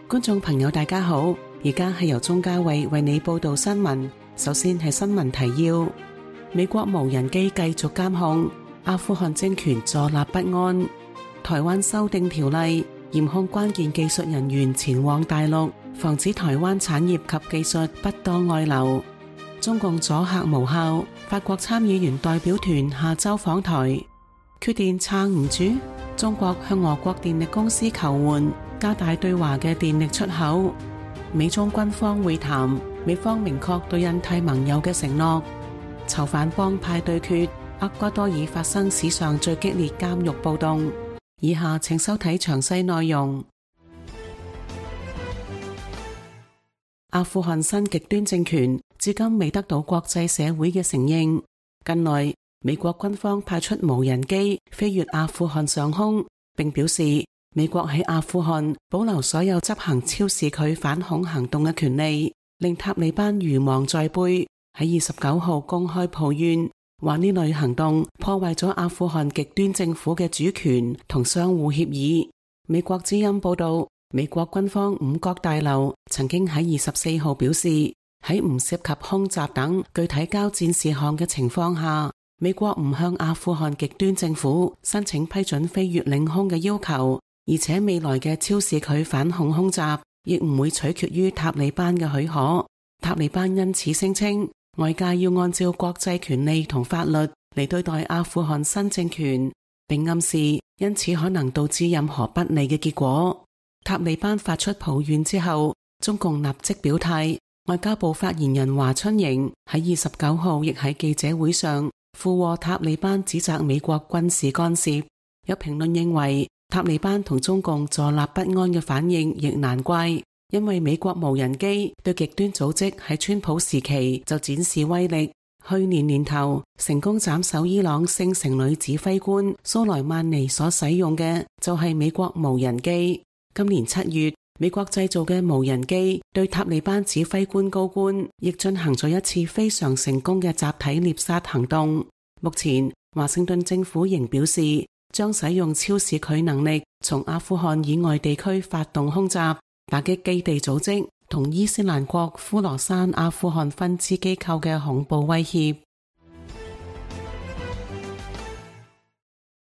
觀眾朋友大家好，而家係由鍾嘉慧為你報道新聞。首先係新聞提要：美國無人機繼續監控，阿富汗政權坐立不安。台灣修訂條例，嚴控關鍵技術人員前往大陸，防止台灣產業及技術不當外流。中共阻嚇無效，法國參議員代表團下周訪台。缺電撐唔住，中國向俄國電力公司求援，加大對華嘅電力出口。美中軍方會談，美方明確對印太盟友嘅承諾。囚犯幫派對決，厄瓜多爾發生史上最激烈監獄暴動。以下請收睇詳細內容。阿富汗新極端政權至今未得到國際社會嘅承認。近來，美國軍方派出無人機飛越阿富汗上空，並表示美國喺阿富汗保留所有執行超視距反恐行動嘅權利，令塔利班如芒在背。喺29號公開抱怨，話呢類行動破壞咗阿富汗極端政府嘅主權同相互協議。美國之音報道，美國軍方五角大樓曾經喺24號表示，喺唔涉及空襲等具體交戰事項嘅情況下，美國唔向阿富汗極端政府申請批准飛越領空嘅要求，而且未來嘅超視距反恐空襲亦唔會取決於塔利班嘅許可。塔利班因此聲稱，外界要按照國際權利同法律嚟對待阿富汗新政權，並暗示因此可能導致任何不利嘅結果。塔利班發出抱怨之後，中共立即表態。外交部發言人華春瑩喺29號亦喺記者會上附和塔利班指責美國軍事干涉。有評論認為，塔利班同中共坐立不安嘅反應亦難怪，因為美國無人機對極端組織喺川普時期就展示威力。去年年頭成功斬首伊朗聖城女指揮官蘇萊曼尼所使用嘅就係美國無人機。今年7月，美國製造嘅無人機對塔利班指揮官高官亦進行咗一次非常成功嘅集體獵殺行動。目前華盛頓政府仍表示將使用超視距能力從阿富汗以外地區發動空襲，打擊基地組織同伊斯蘭國呼羅珊阿富汗分支機構嘅恐怖威脅。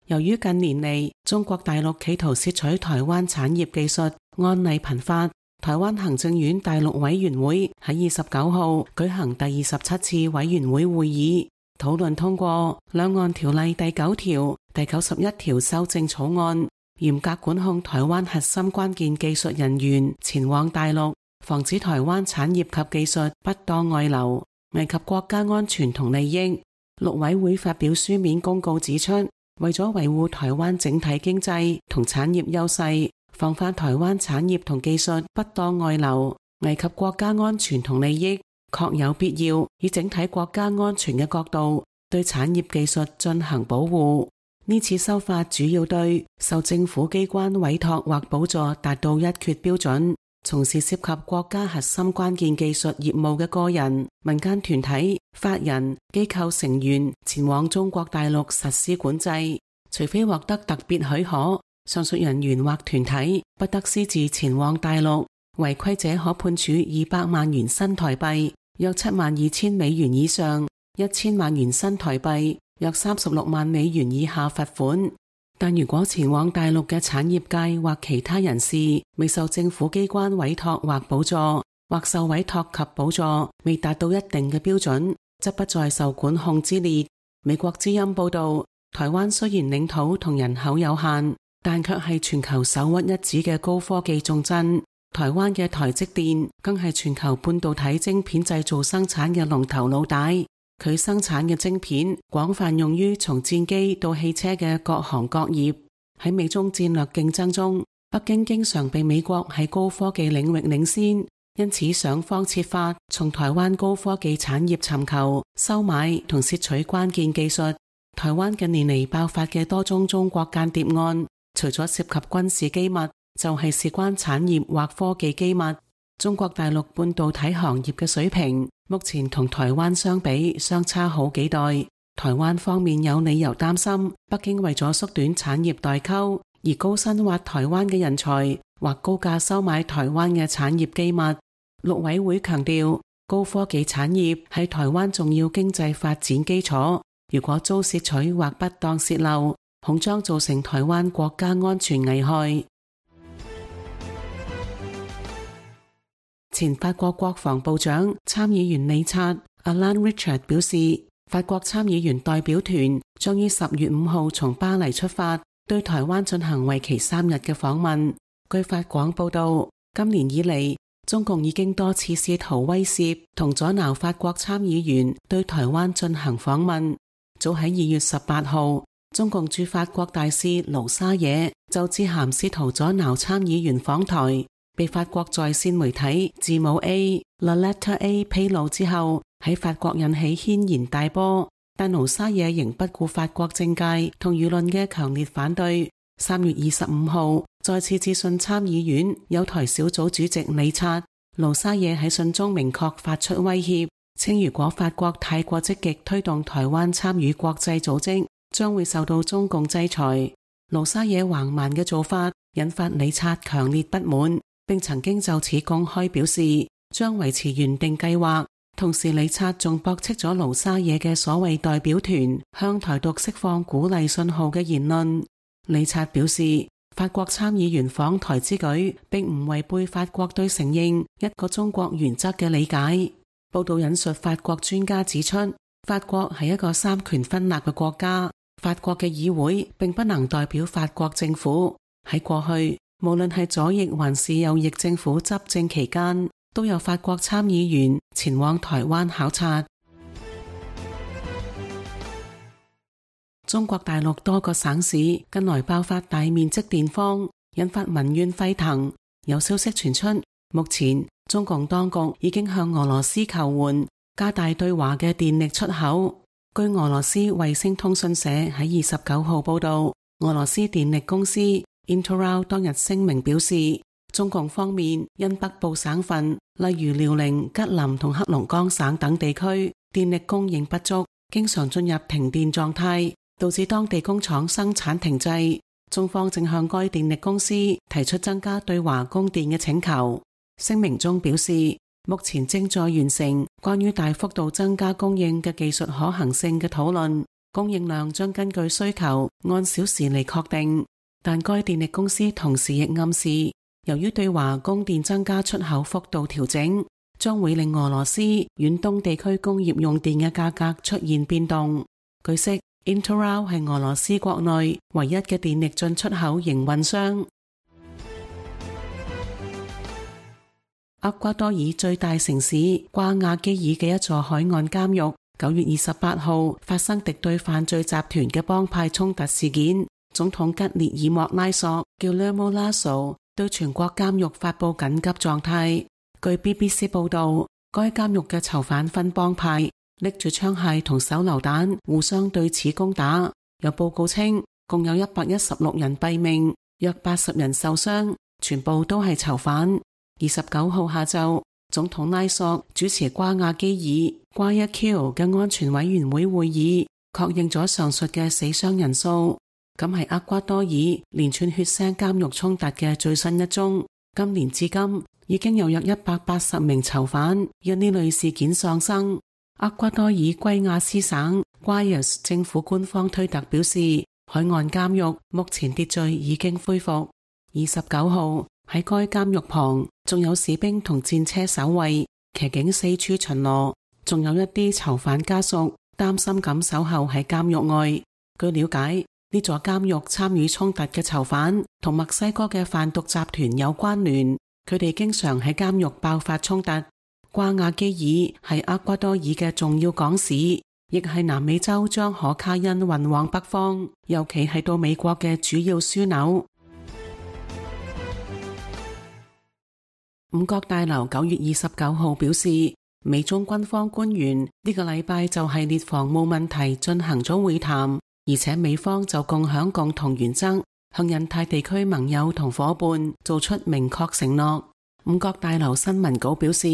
由於近年嚟中國大陸企圖竊取台灣產業技術案例頻發，台灣行政院大陸委員會喺29號舉行第27次委員會會議，討論通過兩岸條例第9條、第91條修正草案，嚴格管控台灣核心關鍵技術人員前往大陸，防止台灣產業及技術不當外流，危及國家安全同利益。陸委會發表書面公告指出，為咗維護台灣整體經濟同產業優勢，防範台灣產業同技術不當外流，危及國家安全同利益，確有必要以整體國家安全嘅角度對產業技術進行保護。呢次修法主要對受政府機關委託或補助達到一決標準，從事涉及國家核心關鍵技術業務嘅個人、民間團體、法人、機構成員前往中國大陸實施管制，除非獲得特別許可，上述人員或團體不得私自前往大陸，違規者可判處200萬元新台幣約72000美元以上，1000萬元新台幣約36萬美元以下罰款。但如果前往大陸嘅產業界或其他人士未受政府機關委託或補助，或受委託及補助未達到一定嘅標準，則不在受管控之列。美國之音報道，台灣雖然領土同人口有限，但卻係全球首屈一指嘅高科技重鎮。台灣嘅台積電更係全球半導體晶片製造生產嘅龍頭老大。佢生產嘅晶片廣泛用於從戰機到汽車嘅各行各業。喺美中戰略競爭中，北京經常被美國喺高科技領域領先，因此想方設法從台灣高科技產業尋求、收買同竊取關鍵技術。台灣近年嚟爆發嘅多宗中國間諜案，除咗涉及軍事機密，就係事關產業或科技機密。中國大陸半導體行業嘅水平目前同台灣相比相差好幾代。台灣方面有理由擔心北京為咗縮短產業代溝而高薪挖台灣嘅人才，或高價收買台灣嘅產業機密。陸委會強調，高科技產業係台灣重要經濟發展基礎，如果遭竊取或不當洩漏，恐將造成台灣國家安全危害。前法國國防部長參議員理察 Alain Richard 表示，法國參議員代表團將於10月5號從巴黎出發，對台灣進行為期3日嘅訪問。據法廣報道，今年以嚟，中共已經多次試圖威懾同阻撓法國參議員對台灣進行訪問。早喺2月18號，中共駐法國大使盧沙野就致函試圖阻撓參議員訪台，被法國在線媒體字母 A、The Letter A 披露之後，喺法國引起軒然大波。但盧沙野仍不顧法國政界同輿論嘅強烈反對。3月25號，再次致信參議院友台小組主席理察。盧沙野喺信中明確發出威脅，稱如果法國太過積極推動台灣參與國際組織，將會受到中共制裁。盧沙野橫蠻嘅做法引發理察強烈不滿，並曾經就此公開表示將維持原定計劃。同時，理察仲駁斥咗盧沙野嘅所謂代表團向台獨釋放鼓勵信號嘅言論。理察表示，法國參議員訪台之舉並唔違背法國對承認一個中國原則嘅理解。報道引述法國專家指出，法國係一個三權分立嘅國家，法國嘅議會並不能代表法國政府。喺過去，無論係左翼還是右翼政府執政期間，都有法國參議員前往台灣考察。中國大陸多個省市近來爆發大面積電荒，引發民怨沸騰。有消息傳出，目前中共當局已經向俄羅斯求援，加大對華嘅電力出口。據俄羅斯衛星通訊社喺29號報道，俄羅斯電力公司 Interral 當日聲明表示，中共方面因北部省份，例如遼寧、吉林同黑龍江省等地區電力供應不足，經常進入停電狀態，導致當地工廠生產停滯。中方正向該電力公司提出增加對華供電嘅請求。聲明中表示，目前正在完成關於大幅度增加供應嘅技術可行性嘅討論，供應量將根據需求按小時嚟確定。但該電力公司同時亦暗示，由於對華供電增加出口幅度調整，將會令俄羅斯遠東地區工業用電嘅價格出現變動。據悉，Interral 係俄羅斯國內唯一嘅電力進出口營運商。厄瓜多爾最大城市瓜亞基爾嘅一座海岸監獄9月28號發生敵對犯罪集團嘅幫派衝突事件。總統吉列爾莫拉索 Guillermo Lasso 對全國監獄發佈緊急狀態。據 BBC 報道，該監獄嘅囚犯分幫派，拎住槍械同手榴彈互相對此攻打。有報告稱，共有116人斃命，約80人受傷，全部都係囚犯。29號下晝，總統拉索主持瓜亞基爾 Guayaquil 嘅安全委員會會議，確認咗上述嘅死傷人數。咁係厄瓜多爾連串血腥監獄衝突嘅最新一宗。今年至今已經有約180名囚犯因呢類事件喪生。厄瓜多爾圭亞斯省 Guayas 政府官方推特表示，海岸監獄目前秩序已經恢復。29號喺該監獄旁仲有士兵同戰車守衛，騎警四處巡邏，仲有一啲囚犯家屬擔心咁守候喺監獄外。據了解，呢座監獄參與衝突嘅囚犯同墨西哥嘅販毒集團有關聯，佢哋經常喺監獄爆發衝突。瓜亞基爾係厄瓜多爾嘅重要港市，亦係南美洲將可卡因運往北方，尤其係到美國嘅主要樞紐。五角大樓9月29號表示，美中軍方官員呢個禮拜就系列防務問題進行咗會談，而且美方就共享共同原則，向印太地區盟友同夥伴做出明確承諾。五角大樓新聞稿表示，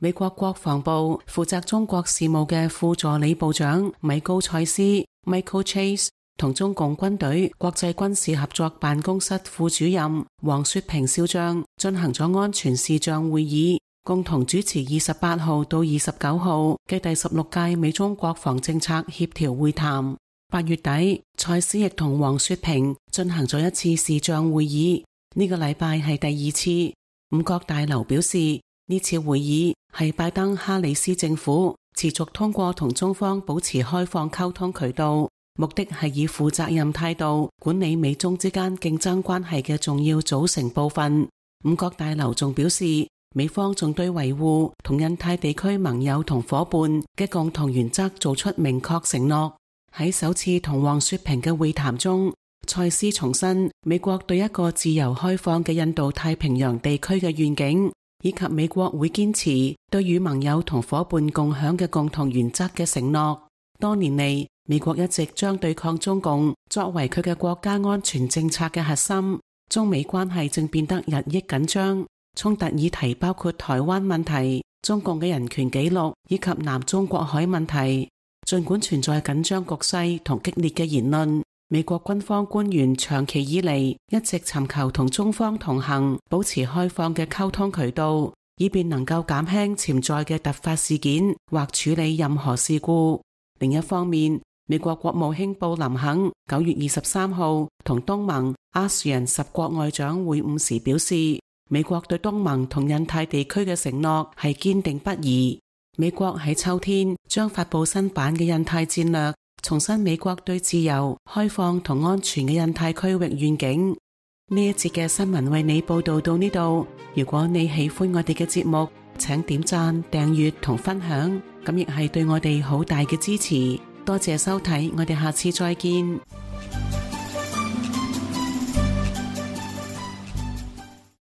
美國國防部負責中國事務嘅副助理部長米高塞斯 Michael Chase 同中共軍隊國際軍事合作辦公室副主任黃雪平少將進行咗安全視像會議，共同主持28號到29號嘅第16屆美中國防政策協調會談。8月底，塞斯亦同黃雪平進行咗一次視像會議，呢個禮拜係第2次。五角大樓表示，呢次會議係拜登哈里斯政府持續通過同中方保持開放溝通渠道，目的係以負責任態度管理美中之間競爭關係嘅重要組成部分。五角大樓仲表示，美方仲對維護同印太地區盟友同夥伴嘅共同原則做出明確承諾。喺首次同黃雪平嘅會談中，塞斯重申美國對一個自由開放嘅印度太平洋地區嘅願景，以及美國會堅持對與盟友同夥伴共享嘅共同原則嘅承諾。多年嚟，美國一直將對抗中共作為佢嘅國家安全政策嘅核心。中美關係正變得日益緊張，衝突議題包括台灣問題、中共嘅人權紀錄以及南中國海問題。儘管存在緊張局勢同激烈嘅言論，美國軍方官員長期以嚟一直尋求同中方同行，保持開放嘅溝通渠道，以便能夠減輕潛在嘅突發事件或處理任何事故。另一方面，美國國務卿布林肯9月23號同東盟、ASEAN 10國外長會晤時表示，美國對東盟同印太地區嘅承諾係堅定不移。美國喺秋天將發佈新版嘅印太戰略，重申美國對自由、開放同安全嘅印太區域願景。呢一節嘅新聞為你報道到呢度。如果你喜歡我哋嘅節目，請點讚、訂閱同分享，咁亦係對我哋好大嘅支持。多謝收睇，我哋下次再見。